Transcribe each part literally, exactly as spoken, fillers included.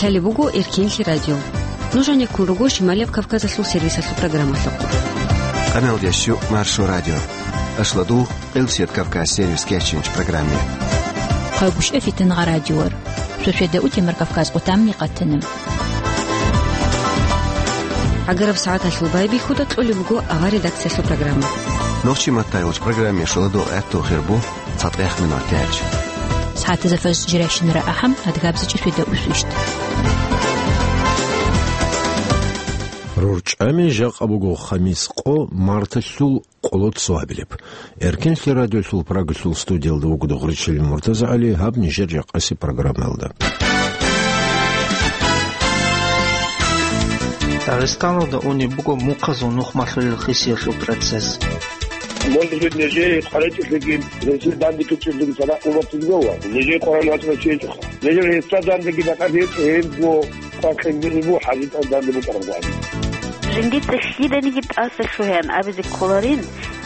Лъалеб буго Эркенлъи радио. Нуж гьанеккун руго Шималияб Кавказалъул сервисалъул программалъухъ. Къамелдеш ю Маршо радио. Ашладул, Къилсият Кавказ сервис кечинч программе. Хъайбушев Фитангъа радиор. Суседа утемар Кавказ къутамни къатана. Агараб сагӀаталъул байбихьуда кьолеб буго авар редакциялъул программа. Нохчи маттайгъуч программе шуладул гӀатту хирбу. Цадахъ минут гьечӀ. СагӀатазда фаз жиращинара ахӀам, адгабзичӀи светаусвищ. РорчӀами жакъа буго хамис къо марталъул къоло цо абилеб. Эркенлъи радиолъул Прагалъул студиялда вуго Дугъричилин МуртазагӀали, гьаб нижер жакъасеб программаялда. Дагъистаналда унеб буго мухъазул нухмалъулел хисиялъул процесс. Может быть, нижее къваригӀелъулги, нижее данде ккечӀелъулги цадахъ умуматизго ва нижее Къуран вачӀарав чи гьечӀоха. Нижер гьесда дандеги бакӀалъи гьечӀо, гьебго къваригӀелъул буго хӀажитӀал данде букӀараб гӀадин. Жиндица лъиданиги тӀаса лъугьеян абизе кколарин,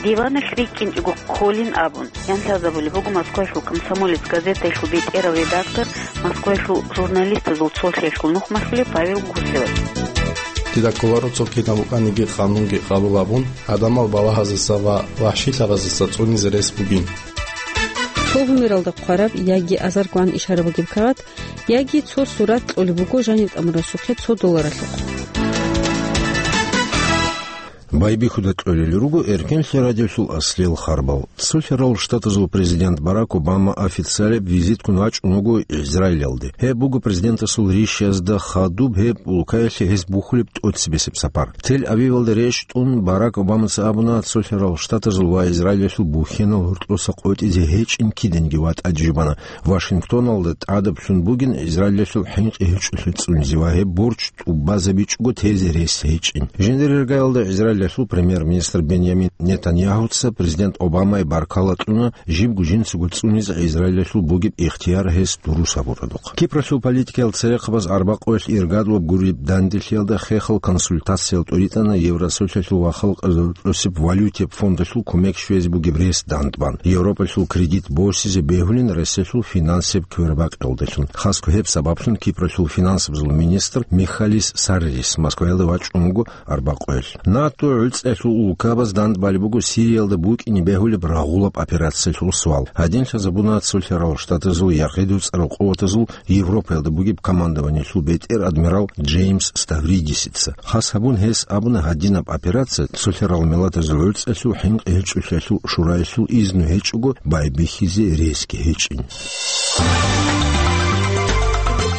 диваналъ рикӀкӀинчӀого кколин абун, ян лъазабулеб буго Москваялъул «Комсомолец» газетаялъул бетӀерав редактор, Москваялъул журналистазул цолъиялъул нухмалъулев Павел Гусевас. Дида кколаро цо кинаб букӀаниги къанунги къабул абун, гӀадамал балагьазеса ва вахӀшилъабазеса цӀунизе рес бугин. Цо гьумералда хъвараб яги азарго ан ишара бугеб кагъат, яги цо сурат кьолеб буго жаниб тӀамурасухъе цо долларалъухъ. Байбихьуда кьолел руго Эркенлъи радиолъул аслиял харбал. Цолъарал Штатазул президент Барак Обама официалаб визитккун вачӀун вуго Израилалде. Гьеб буго президентасул ришязда хадуб гьеб улкаялъе гьес бухьулеб тӀоцебесеб сапар. Тель-Авивалда рещтӀун Барак Обамаца абуна, Цолъарал Штатазул ва Израилалъул бухьенал гьоркьоса къотӀизе гьечӀин киданги ватӀа жубана. Вашингтоналда тӀадаблъун бугин Израилалъул хӀинкъи гьечӀолъи цӀунизе ва гьеб борч тӀубазабичӀого тезе рес гьечӀин. Жиндир иргаялда Израилалъул премьер-министр Беньямин Нетаньяхуца президент Обамае баркала кьуна, жибго жинцаго цӀунизе Израилалъул бугеб ихтияр гьес дурус гьабурадухъ. Кипралъул политикиял церехъабаз арбакъуялъ иргадлъун гуреб данделъиялда хехал консультациял тӀуритӀана Евросолъалъул ва халкъазул тӀосеб валютияб фондалъул кумек щвезе бугеб рес дандбан, Европалъул кредит босизе бегьулин ресалъул финансияб квербакъиялдалъун. Хасго гьеб сабаблъун Кипралъул финансабазул министр Михалис Саррис Москваялда вачӀун вуго арбакъуялъ. НАТО гӀуцӀалъул улкабаз дандбалеб буго Сириялда букӀине бегьулеб рагъулаб операциялъул суал. Гьадин лъазабуна Цолъарал Штатазул ярхъе доцӀарал къуватазул Европаялда бугеб командованиялъул бетӀер адмирал Джеймс Ставридисица. Хас гьабун гьес абуна, гьадинаб операция Цолъарал Миллатазул ГӀуцӀалъул хӀинкъи гьечӀолъиялъул шураялъул изну гьечӀого байбихьизе ресги гьечӀин.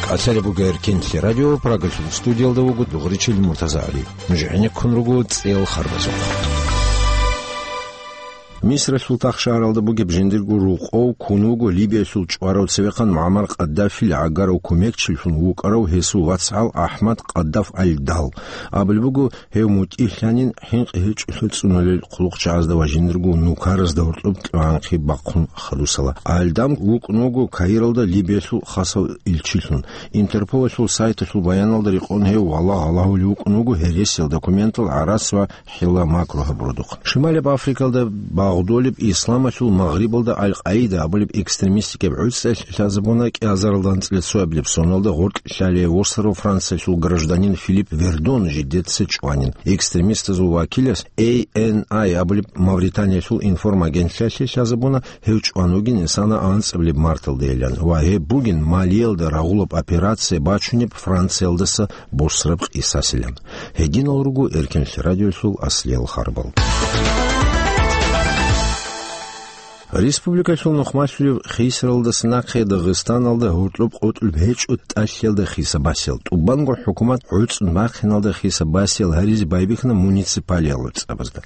КӀалъалеб буго Эркенлъи радио, Прагалъул студиялда вуго Дугъричилин МуртазагӀали. Нуж гӀенеккун руго цӀел харбазухъ. Мисралъул Тахшагьаралда бугеб жиндирго рокъов ккун вуго Либиялъул чӀварав цевехъан МугӀаммар Къаддафил гӀагарав кумекчилъун вукӀарав гьесул вацгӀал АхӀмад Къаддаф аль-Дал. Абулеб буго, гьев мутӀигьлъанин хӀинкъи гьечӀолъи цӀунулел хъулухъчагӀазда ва жиндирго нукаразда гьоркьоб кьванхъи бахъун хадусала. Аль-Дал вукӀун вуго Каиралда Либиялъул хасав илчилъун. Интерполалъул сайталъул баяналда рекъон гьев валагь-гьалагьулев вукӀун вуго гьересиял документал гӀарац ва хӀилла-макру гьабурадухъ. Шималияб Африкалда багъдолеб исламалъул Магърибалда Аль-Къаида абулеб экстремистикаб гӀуцӀалъ лъазабуна кӀиазаралда анцӀила цоабилеб соналда гъоркь лъалеб восарав Франциялъул гражданин Филипп Вердон жидеца чӀванин. Экстремистазул вакилас A N I абулеб Мавританиялъул информагентлъиялъе лъазабуна, гьев чӀван вугин исана анцӀабилеб марталдайилан ва гьеб бугин Малиялда рагъулаб операция бачунеб Франциялдаса босраб къисасилан. Гьединал руго Эркенлъи радиолъул аслиял харбал. Республикалъул нухмалъулев хисаралдаса нахъе Дагъистаналда гьоркьоб къотӀулеб гьечӀо тӀалъиялда хисабасел. ТӀубанго хӀукумат гӀуцӀун бахъиналда хисабасел гьаризе байбихьана муниципалиял цӀабазда.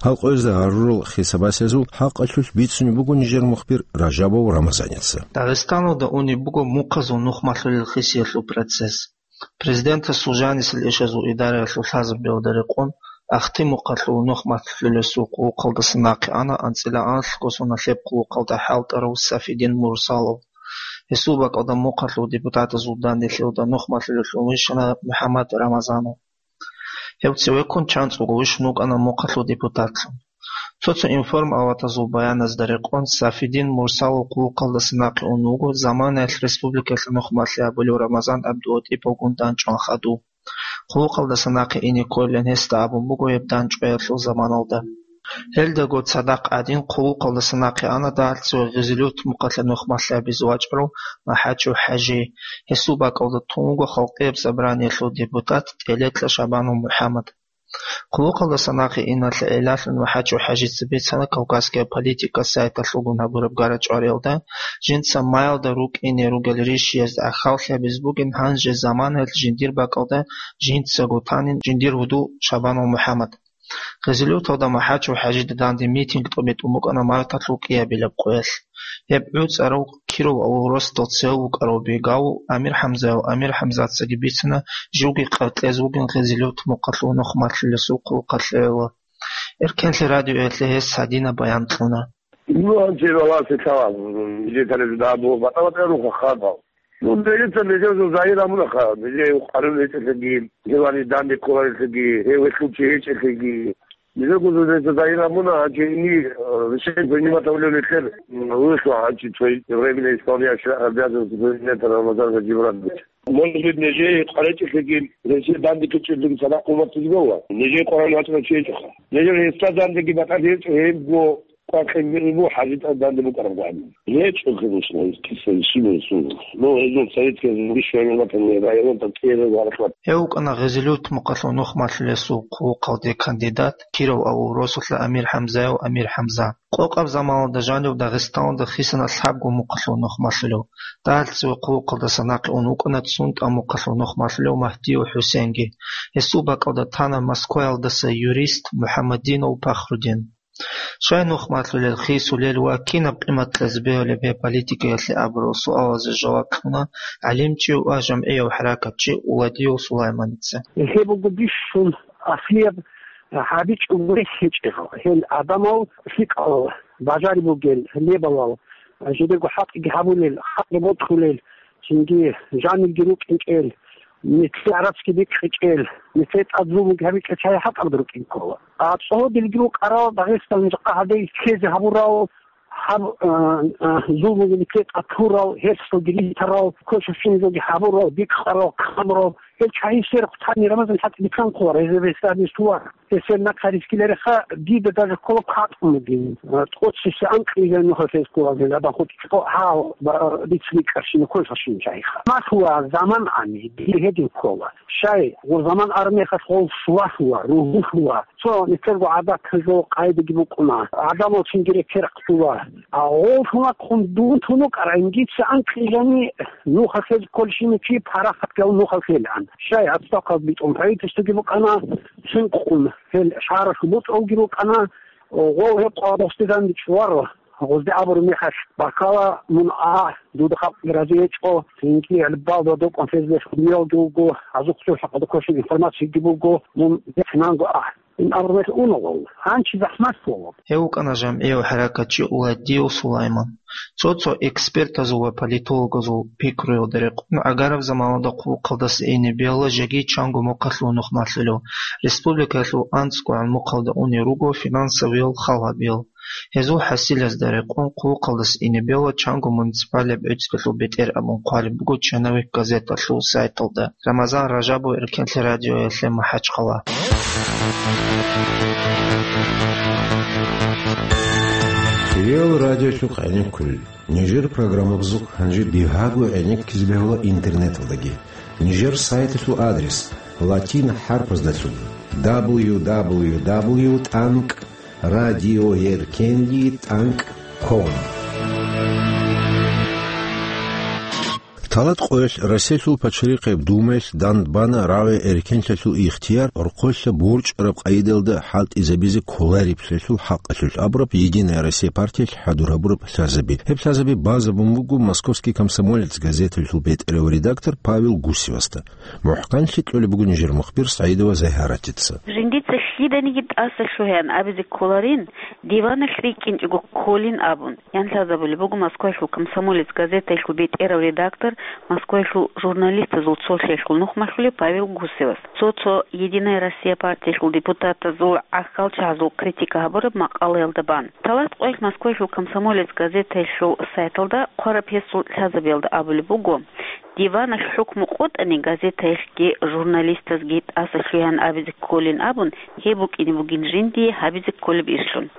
Гьал къоязда гьарурал хисабасезул хӀакъалъулъ бицунеб буго нижер мухбир Ражабов Рамазаница. Дагъистаналда унеб буго мухъазул нухмалъулел хисиялъул процесс. Президентасул жанисел ишазул идараялъул лъазабиялда рекъон, Ахти мухъалъул нухмалъулесул хъулухъалдаса нахъе ана анцӀила аналъго соналъеб хъулухъалда хӀалтӀарав Сафидин Мурсалов. Гьесул бакӀалда мухъалъул депутатазул данделъиялда нухмалъулелъун вищана МухӀаммад Рамазанов. Гьев цевеккун чанцӀулго вищун вукӀана мухъалъул депутатлъун. Цо-цо информаватазул баяназда рекъон, Сафидин Мурсалов хъулухъалдаса нахъе ун вуго заманаялъ республикаялъул нухмалъи абулев Рамазан ГӀабдулатӀиповгун дандчӀван хадув. Хъулухъалдаса нахъе ине кколилан гьесда абун буго гьеб дандчӀваялъул заманалда. Гьелдаго цадахъ гӀадин, хъулухъалдаса нахъе ана дагьалъ цо Гъизилют мухъалъа нухмалъи абизе вачӀарав МахӀачев ХӀажи. Гьесул бакӀалда тун вуго Халкъияб Собраниялъул депутат ТӀелекьа Шабанов МухӀаммад. Хъулухъалдаса нахъе иналъе гӀиллалъун МахӀачев ХӀажица бицана Кавказская политика сайталъулгун гьабураб гара-чӀвариялда, жинца маялда рукӀине ругел ришиязда ахӀаллъи гьабизе бугин, гьанже заманаялъ жиндир бакӀалда жинцаго танин жиндир гьудул Шабанов МухӀаммад. Гъизилюталда МахӀачев ХӀажида данде митинг тӀобитӀун букӀана марталъул кӀиабилаб къоялъ. Гьеб гӀуцӀарав Киров авул росдал цеве вукӀарав Бегавул Амир-ХӀамзаяв Амир-ХӀамзацаги бицана, живги къаркьезе вугин Гъизилют мухъалъул нухмалъулесул хъулухъалъе гӀоло. Эркенлъи радиоялъе гьес гьадинаб баян кьуна. Ну, гьанже валасе лъала, нижер тарихда абу, батӀа-батӀа руха хадал. Ну, нижеца нижер загьир абунаха, нижер къарун гьечӀелъаги, гьевани данде кколарелъаги, гьев гьелъул чи гьечӀелъаги. Нижер гузузеца загьир абуна, гьанже ини, э, решение принимать гьавулев нилъер, м, вугьу, гьанже цо временно исполняющий обязанности президента Рамазан Гаджимурадович. Может быть, нижер къаречӀелъаги, гьесие данде ккечӀелъаги цадахъ хъумартизе бегьула. Нижер къваригӀун вачӀарав чи гьечӀоха. Нижер гьесда дандеги батӀалъи гьечӀо, гьебго къвакъинги буго, ХӀажитӀа данде букӀарабгӀан. ГьечӀо, конечно, киса щиб гьесул. Но гьезул советская районал кӀиябго гьаракат. Гьев вукӀана Гъизилют мухъалъул нухмалъулесул хъулухъалде кандидат, Киров авул росулъа Амир-ХӀамзаяв Амир-ХӀамза. Къокъаб заманалда жанив Дагъистаналда хисана лъабго мухъалъул нухмалъулев. Дагьалъ цеве хъулухъалдаса нахъе ун вукӀана цун тӀамухъалъул нухмалъулев Магьдиев ХӀусенги. Гьесул бакӀалда тана Москваялдаса юрист МухӀаммадинов Пахрудин. Щай нухмалъулел, хисулел ва кинаб къимат кьезе бегьулеб гьеб политикаялъе абурал суалазе жаваб кьуна гӀалимчи ва жамгӀияв хӀаракатчи Уладиев Сулайманица. Гьеб буго бищун аслияб гьабичӀого рехь гьечӀел, гьел адамал лъикӀал, бажари бугел, лебалал, жидерго хӀакъги гьабулел, хӀакъги бокьулел, цинги жанирги рукӀинчӀел, нилъее гӀарацги бикьичӀел, нилъее тӀад зулмуги гьабичӀел чагӀи хӀатӀабда рукӀин ккола. А цӀодилги рукӀарал Дагъистан жакъа гьаде ккезе гьабурал, гьаб-, а, а, зулмуги нилъее тӀад лъурал, гьерсалги ритарал, квешабщиназулги гьабурал, бикьарал, камурал, гьел чагӀи сверухъ тани Рамазан хӀатӀ бицан ккола, гьезие гьесда гьабизе лъугьар. Гьесие нахъа рискилареха, дида даже ккола кватӀун бугин. А, тӀоцесеб анкьизе нухалъ гьез ккола, гьел адам хутӀичӀо гьав, ба-, дица бикьарщина квешабщинчагӀиха. Малъула заман ани, дие гьедин ккола. Щай, гъур заман армехалъ гъов свалъула, ругьулъула. Цо нилъерго гӀадаталъул къайдаги букӀуна. Гьадамал цинги рекерахъула. А гъовлъунахъун дун тун вукӀарай, дица анкьижани нухалъ гьез кколщина чи парахатгал нухалъ гьелан. Щай, отставкал битӀун правительствоги букӀана, цинкъун гьел шагьаралъул бутӀрулги рукӀана, гъов гьеб къварасде данде чӀваро. Гъозде абураб мехалъ баккала, мун а, дуда халкъ рази гьечӀо, цинги гьалбалда докӀун фезлъун дуялги вуго, азухъ цо хӀакъалда квешаб информациялги буго, мун бихьинанго а. Ин абураб мехалъ уна гъов. Гьанчи захӀмат гъов. Гьев вукӀана жамгӀияв хӀаракатчи Уладиев Сулайман. Цо-цо экспертазул ва политологазул пикруялда рекъон, гӀагараб заманалда хъулухъалдаса ине бегьула жеги чанго мухъалъул нухмалъулев, республикаялъул анцӀгогӀан мухъалда унел руго финансовиял хал гьабиял. Гьезул хӀасилазда рекъон хъулухъалдаса ине бегьула чанго муниципалияб гӀицӀбалъул бетӀер абун хъвалеб буго «Черновик» газеталъул сайталда. Рамазан Ражабов, Эркенлъи радиоялъе, МахӀачхъала. Кирил радиолъухъ гӀенеккулел. Нижер программабазухъ гьанже бигьаго гӀенеккизе бегьула интернеталдаги. Нижер сайталъул адрес: латин хӀарпаздалъун: дабл ю дабл ю дабл ю тӀанкӀ радиоэркенлъи тӀанкӀ ком. Талат къоялъ Россиялъул пачалихъеб Думаялъ дандбана рагӀи-эркенлъиялъул ихтияр рокъолъа борчӀараб къайдаялда хӀалтӀизабизе кколареблъиялъул хӀакъалъулъ абураб «Единая Россия» партиялъ хӀадур гьабураб лъазаби. Гьеб лъазаби базабун буго «Московский комсомолец» газеталъул бетӀерав редактор Павел Гусевасда. МухӀканлъи кьолеб буго нижер мухбир СагӀидова Загьаратица. Жиндица Киданиги тӀаса лъугьаян абизе кколарин, диваналъ рикӀкӀинчӀого кколин абун, ян лъазабулеб буго Москваялъул «Комсомолец» газетаялъул бетӀерав редактор, Москваялъул журналистазул цолъиялъул нухмалъулев Павел Гусевас. Цо-цо «Единая Россия» партиялъул депутатазул гӀахьалчагӀазул критика гьабураб макъалаялда бан. Талат къоялъ Москваялъул «Комсомолец» газетаялъул сайталда хъвараб гьесул лъазабиялда абулеб буго, диваналъ хӀукму къотӀани газетаялъги журналистазги тӀаса лъугьаян абизе кколин абун, гьеб букӀине бугин жиндие гьабизе кколеб ишлъун.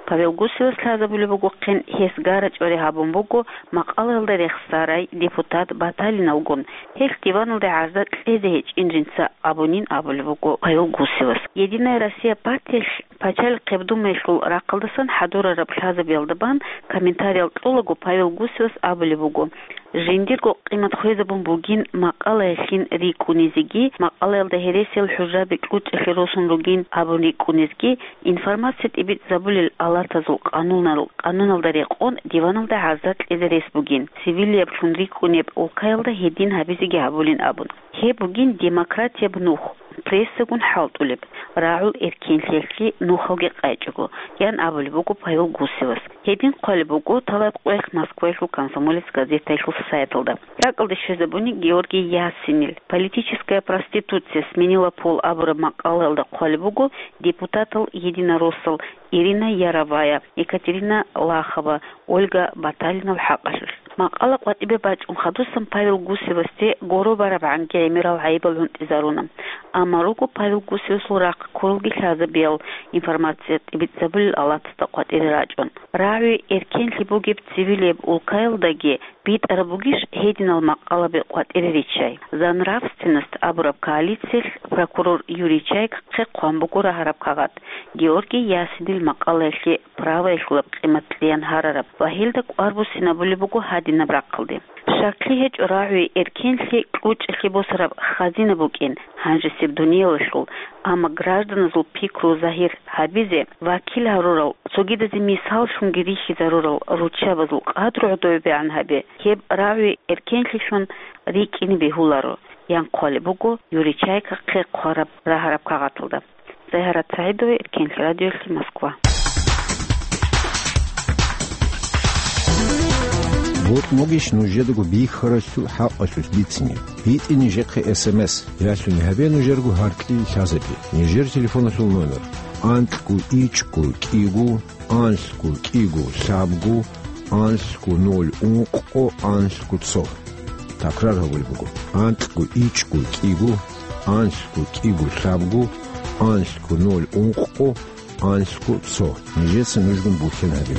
Павел Гусевас лъазабулеб бугохъин, гьес гарачӀвари гьабун буго макъалаялда рехсарай депутат Баталиналгун, гьелъ диваналде гӀарза кьезе гьечӀин жинца абунин абулеб буго Павел Гусевас. «Единая Россия» партиялъ Пачалихъ ГӀабдуллаялъул рахъалдасан хӀадурараб лъазабиялда бан комментариял кьолаго Павел Гусевас абулеб буго, жиндирго къимат хвезабун бугин макъалаялъин рикӀкӀунизеги, макъалаялда гьересиял хӀужаби кьучӀалъе росун ругин абун рикӀкӀунизеги, информация тӀибитӀизабулел алатазул къанунал, къануналда рекъон диваналда гӀарза кьезе рес бугин, цивилияблъун рикӀкӀунеб улкаялда гьедин гьабизеги гьабулин абун. Гьеб бугин демократияб нух, прессагун хӀалтӀулеб, рагӀул эркенлъиялъе нухалги къайчӀого, ян абулеб буго Павел Гусевас. Гьедин хъвалеб буго талат къоялъ Москваялъул «Комсомолец» газетаялъул сайталда. РакӀалде щвезабуни Георгий Ясинил «Политическая проституция сменила пол» абураб макъалаялда хъвалеб буго депутатал-единороссал Ирина Яровая, Екатерина Лахова, Ольга Баталинал хӀакъалъулъ. Макъала къватӀибе бачӀун хадусан Павел Гусевасде гуро барабгӀанги гӀемерал гӀайибал гӀунтӀизаруна. Амма руго Павел Гусевасул рахъ ккуралги лъазабиял информация тӀибитӀизабулел алатасда къватӀире рачӀун. РагӀи эркенлъи бугеб цивилияб улкаялдаги битӀараб бугищ гьединал макъалаби къватӀире риччай? «За нравственность» абураб коалициялъ прокурор Юрий Чайкахъе хъван буго рагьараб кагъат, Георгий Ясинил макъалаялъе правоялъулаб къимат кьеян гьарараб ва гьелда кӀвар буссинабулеб буго гьадинаб рахъалде. Щаклъи гьечӀо рагӀи эркенлъи кьучӀалъе босараб хазина букӀин гьанжесеб дуниялалъул, амма гражданазул пикру загьир гьабизе вакил гьарурал, цогидазе мисаллъунги рихьизарурал руччабазул къадру гӀодобегӀан гьабе, гьеб рагӀи эркенлъилъун рикӀкӀине бегьуларо, ян хъвалеб буго Юрий Чайкахъе хъвараб рагьараб кагъаталда. Загьарат СагӀидова, Эркенлъи радиолъи, Москва. Бокьун бугищ нужедаго бихьаралъул хӀакъалъулъ бицине? БитӀе нижехъе эс эм эс, ялъуни гьабе нужерго гьаркьил лъазабе. Нижер телефоналъул номер: анкьго ичӀго кӀиго, анлъго кӀиго лъабго, анлъго ноль ункъго, анлъго цо. Такрар гьабулеб буго: анкьго ичӀго кӀиго, анлъго кӀиго лъабго, анлъго ноль ункъго, анлъго цо. Нижеца нужгун бухьен гьабе.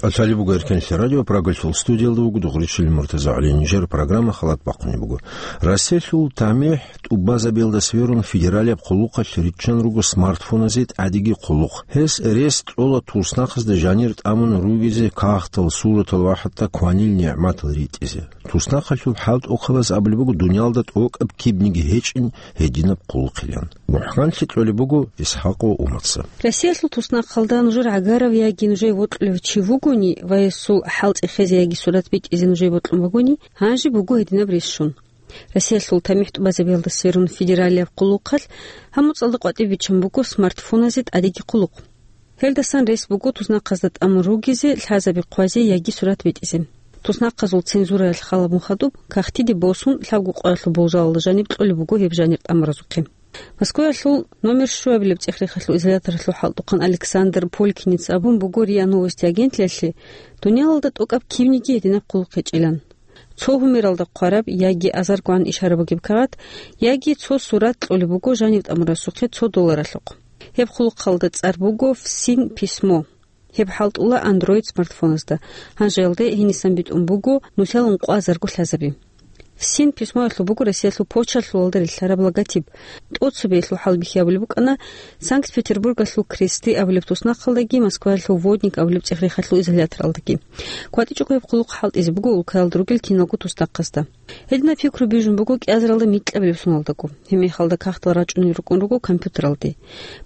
КӀалъалеб буго Эркенлъи радио, Прагалъул студиялда вуго Дугъричил МуртазагӀали. Нижер программа халат бахъунеб буго. Россиялъул тамихӀ тӀубазабиялда сверун федералияб хъулухъалъ риччан руго смартфоназе тӀадеги хъулухъ. Гьес рес кьола туснахъазда жанир тӀамун ругезе кагътал, суратал ва хӀатта кванил нигӀматал ритӀизе. Туснахъалъул хӀалтӀухъабаз абулеб буго дуниялда тӀокӀаб кибниги гьечӀин гьединаб хъулухъилан. МухӀканлъи кьолеб буго Исхакъов Умарца. Россиялъул туснахъалда нужер гӀагарав яги нужее вокьулев чи вугони ва гьесул хӀалтӀи хвезе яги сурат битӀизе нужее бокьун бугони, гьанже буго гьединаб рес щун. Россиялъул тамихӀ тӀубазабиялда сверун федералияб хъулухъалъ гьаб моцӀалда къватӀибе биччан буго смартфоназе тӀадеги хъулухъ. Гьелдасан рес буго туснахъазда тӀамун ругезе, лъазаби хъвазе яги сурат битӀизе. Туснахъазул цензураялъ халабун хадуб, кагътиде босун, лъабго къоялъул болжалалда жаниб кьолеб буго гьеб жанир тӀамуразухъе. Москваялъул номер щуабилеб цӀех-рехалъул изоляторалъул хӀалтӀухъан Александр Полькиница абун буго РИА Новости агентлъиялъе, дуниялалда тӀокӀаб кибниги гьединаб хъулухъ гьечӀилан. Цо гьумералда хъвараб яги азаргогӀан ишара бугеб кагъат, яги цо сурат кьолеб буго жанив тӀамурасухъе цо долларалъухъ. Гьеб хъулухъалда цӀар буго «ФСИН письмо». Гьеб хӀалтӀула Android смартфоназда. Гьанжеялде гьенисан битӀун буго нусиялда ункъо азарго лъазаби. «ФСИН письмоялъул» буго Россиялъул почталъулалда рилълъараб логотип. ТӀоцебеялъул хӀалбихьи абулеб букӀана Санкт-Петербургалъул «Кресты» абулеб туснахъалдаги Москваялъул «Водник» абулеб цӀех-рехалъул изоляторалдаги. КватӀичӀого гьеб хъулухъ хӀалтӀизе буго улкаялда ругел киналго туснахъазда. Гьединаб пикру бижун буго кӀиазаралда микьабилеб соналдаго. Гьеб мехалда кагътал рачӀунел рукӀун руго компьютералде.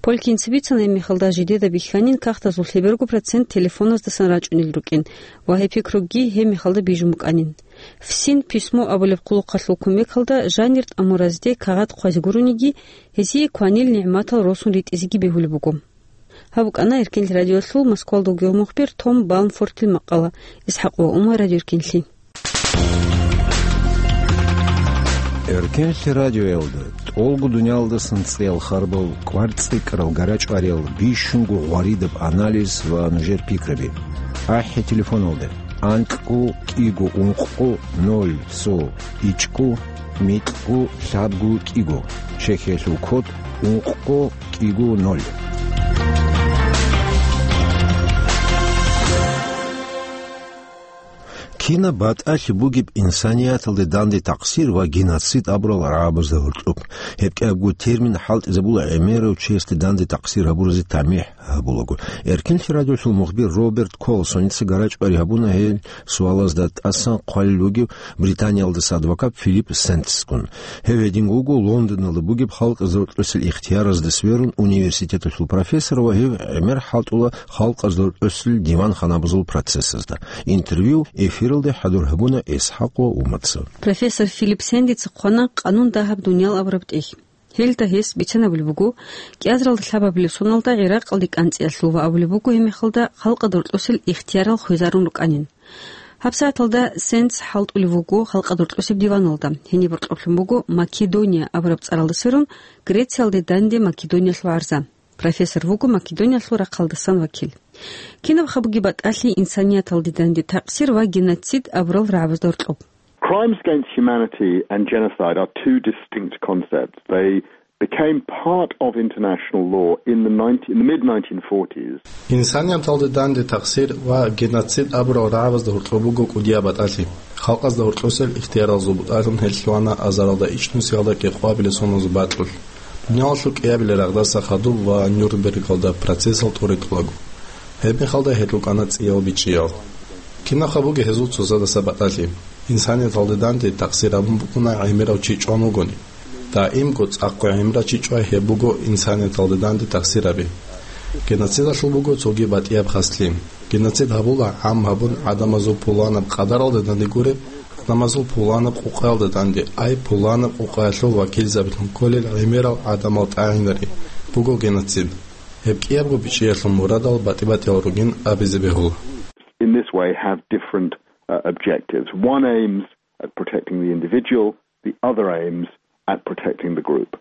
Полькинца бицана, гьеб мехалда жидеда бихьанин кагътазул лъеберго процент телефоназдасан рачӀунел рукӀин ва гьеб пикруги гьеб мехалда бижун букӀанин. ФСИН, письмо абулеб хъулухъалъул кумекалда жанир тӀамуразде кагъат хъвазе гурониги, гьезие кванил нигӀматал росун ритӀизеги бегьулеб буго. Гьаб букӀана Эркенлъи радиолъул Москвалда вугев мухбир Том Балмфортил макъала. ИсхӀакъ ва Умар, Радио Эркенлъи. Эркенлъи радиоялда тӀолго дуниялдасан цӀиял харбал, кӀвар-цӀикӀкӀарал, гарачӀвариял, бищунго гъваридаб анализ ва нужер пикраби. АхӀи телефоналда: анкьго кӀиго ункъго ноль цо ичӀго микьго лъабго кӀиго. Чехиялъул код: ункъго кӀиго ноль. Кинаб батӀалъи бугеб инсанияталде данде такъсир ва геноцид абурал рагӀабазда гьоркьоб? Гьеб кӀиябго термин хӀалтӀизабула гӀемерав чиясде данде такъсир гьабуразе тамихӀ гьабулаго. Эркенлъи радиолъул мухбир Роберт Колсоница гарачӀвари гьабуна гьел суалазда тӀасан хъвалел вугев Британиялдаса адвокат Филипп Сентскун. Гьев гьединго вуго Лондоналда бугеб халкъазда рокьосел ихтияразда сверун университеталъул профессор ва гьев гӀемер хӀалтӀула халкъазда рокьосел диван-ханабазул процессазда. Интервью эфиралде хӀадур гьабуна ИсхӀакъ ва Умаца. Профессор Филипп Сендица хъвана «Къанун дагьаб дуниял» абураб тӀехь. Гьелда гьес бицанабулеб буго, кӀиазаралда лъабабилеб соналда ГӀиракъалде кӀанцӀиялъул ва абулеб буго гьеб мехалда халкъазда рокьосел ихтиярал хвезарун рукӀанин. ГьабсагӀаталда Сендс хӀалтӀулев вуго халкъазда рокьосеб диваналда. Гьениб гьоркьоблъун буго Македония абураб цӀаралда сверун Грециялде данде Македониялъул гӀарза. Профессор вуго Македониялъул рахъалдасан вакил. Кинаб хабуги батӀалъи инсанияталде данде такъсир ва геноцид абурал рагӀабазда гьоркьоб? Crimes against humanity and genocide are two distinct concepts. They became part of international law in the nineteen, in the mid nineteen forties. Инсанияталде данде такъсир ва геноцид абурал рагӀабазда гьоркьоб буго кӀудияб батӀалъи. Халкъазда гьоркьосел ихтияралзул бутӀалъун гьел лъугьана азаралда ичӀнусиялда кӀикъоабилеб соналъул бакьулъ. Дуниялалъул кӀиабилеб рагъдаса хадуб ва Нюрнбергалда процессал тӀоритӀулаго. Гьеб мехалда гьел рукӀана цӀиял бичӀчӀиял. Кинаб хабуги гьезул цоцазда батӀалъи. Инсанияталде данде такъсир абун букӀуна гӀемерав чи чӀван вугони. Даимго цӀакъго гӀемерав чи чӀвай гьеб буго инсанияталде данде такъсир аби. Геноцидалъул буго цоги батӀияб хаслъи. Геноцид гьабула гӀам гьабун гӀадамазул пуланаб къадаралда данде гуреб, гӀадамазул пуланаб къукъаялда данде, ай пуланаб къукъаялъул вакилзабилъун кколел гӀемерал гӀадамал тӀагӀинари буго геноцид. Гьеб кӀиябго бичӀчӀиялъул мурадал батӀи-батӀиял ругин абизе бегьула. In this way have different, uh, objectives. One aims at protecting the individual, the other aims at protecting the group.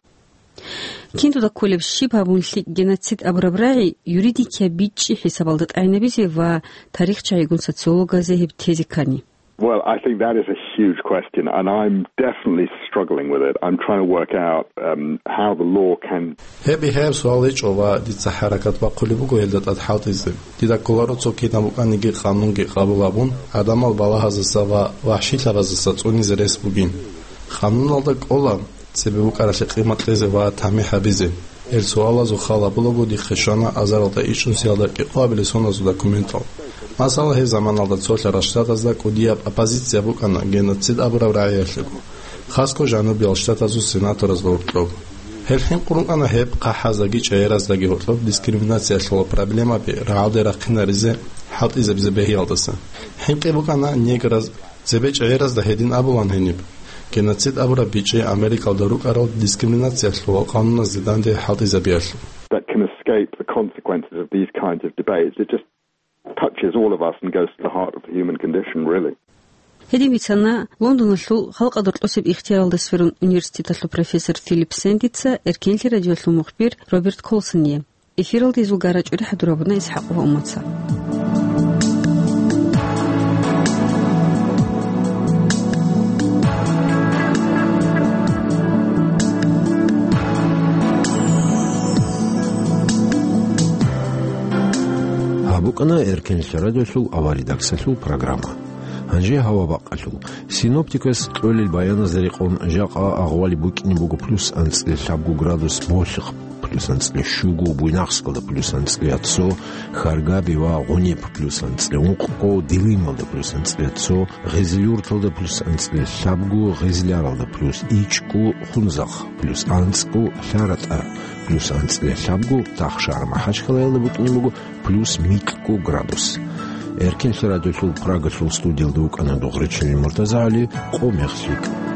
Киндуда кколеб щиб гьабун лъикӀ геноцид абураб рагӀи юридикияб бичӀчӀи хӀисабалда тӀагӀинабизе ва тарихчагӀигун социологазе гьеб тезе ккани? Well, I think that is a huge question, and I'm definitely struggling with it. I'm trying to work out, um, how the law can Гьеб бихьараб суал гьечӀо ва дица хӀаракат бахъулеб буго гьелда тӀад хӀалтӀизе. Дида кколаро цо кинаб букӀаниги къанунги къабул гьабун, гӀадамал балагьаздаса ва вахӀшилъабаздаса цӀунизе рес бугин. Къануналда кӀола цебе букӀаралъе къимат кьезе ва тамихӀ гьабизе. Гьел суалазул хал гьабулаго дихъе щвана азаралда ичӀнусиялда кӀикъоабилеб соналъул документал. Масала, гьеб заманалда цолъарал штатазда кӀудияб оппозиция букӀана геноцид абураб рагӀиялъего, хасго жанубиял штатазул сенаторазда гьоркьоб. Гьел хӀинкъун рукӀана гьеб хъахӀаздаги чӀегӀераздаги гьоркьоб дискриминациялъул проблемаби рагӀалде рахъинаризе, хӀалтӀизабизе бегьиялдаса. ХӀинкъи букӀана неграз, цебе чӀегӀеразда гьедин абулан гьениб. Геноцид абураб бичӀчӀи Америкалда рукӀарал дискриминациялъул къануназде данде хӀалтӀизабиялъул. That can escape the consequences of these kinds of debates. It just touches all of us and goes to the heart of the human condition, really. Гьедин бицана Лондоналъул халкъазда рокьосеб ихтияралда сверун университеталъул профессор Филипп Сендица Эркенлъи радиолъул мухбир Роберт Колсоние. Эфиралда гьезул гарачӀури хӀадур гьабуна ИсхӀакъ ва Умаца. Гьаб букӀана Эркенлъи радиолъул аваридаксалъул программа. Гьанже гьава бакъалъул. Синоптикас кьолел баяназда рекъон, жакъа агъвали букӀине буго плюс анцӀила лъабго градус болъихъ. плюс анцӀила щуго, Буйнакскалда плюс анцӀила цо, Харгаби ва Гъуниб плюс анцӀила ункъго, Дилималда плюс анцӀила цо, Гъезилюрталда плюс анцӀила лъабго, Гъезляралда плюс ичӀго, Хунзахъ плюс анцӀго, ЛъаратӀа плюс анцӀила лъабго, Тахшар Махачкалаялда букӀине буго плюс микьго градус. Эркинлъи радиолъул Прагалъул студиялда вукӀана Дугъричилин МуртазагӀали, къо мехлъи.